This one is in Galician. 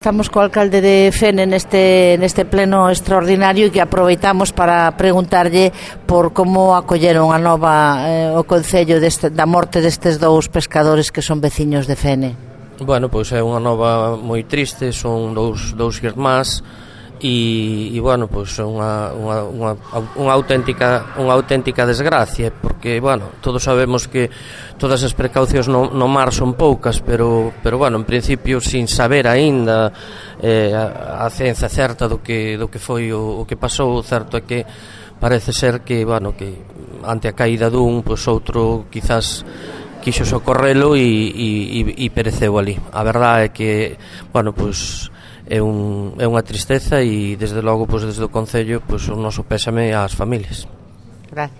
Estamos co alcalde de Fene neste pleno extraordinario e que aproveitamos para preguntarlle por como acolleron a nova o concello da morte destes dous pescadores que son veciños de Fene. Bueno, pois é unha nova moi triste, son dous irmáns e bueno, pois é unha auténtica desgracia, porque bueno, todos sabemos que todas as precaucións no mar son poucas, pero bueno, en principio sin saber aínda a ciencia certa do que foi o que pasou, certo é que parece ser que bueno, que ante a caída dun, pois outro quizás quixo socorrelo e pereceu ali. A verdade é que bueno, pois é unha tristeza e desde logo, pois desde o concello, pois o noso pésame ás familias. Gracias.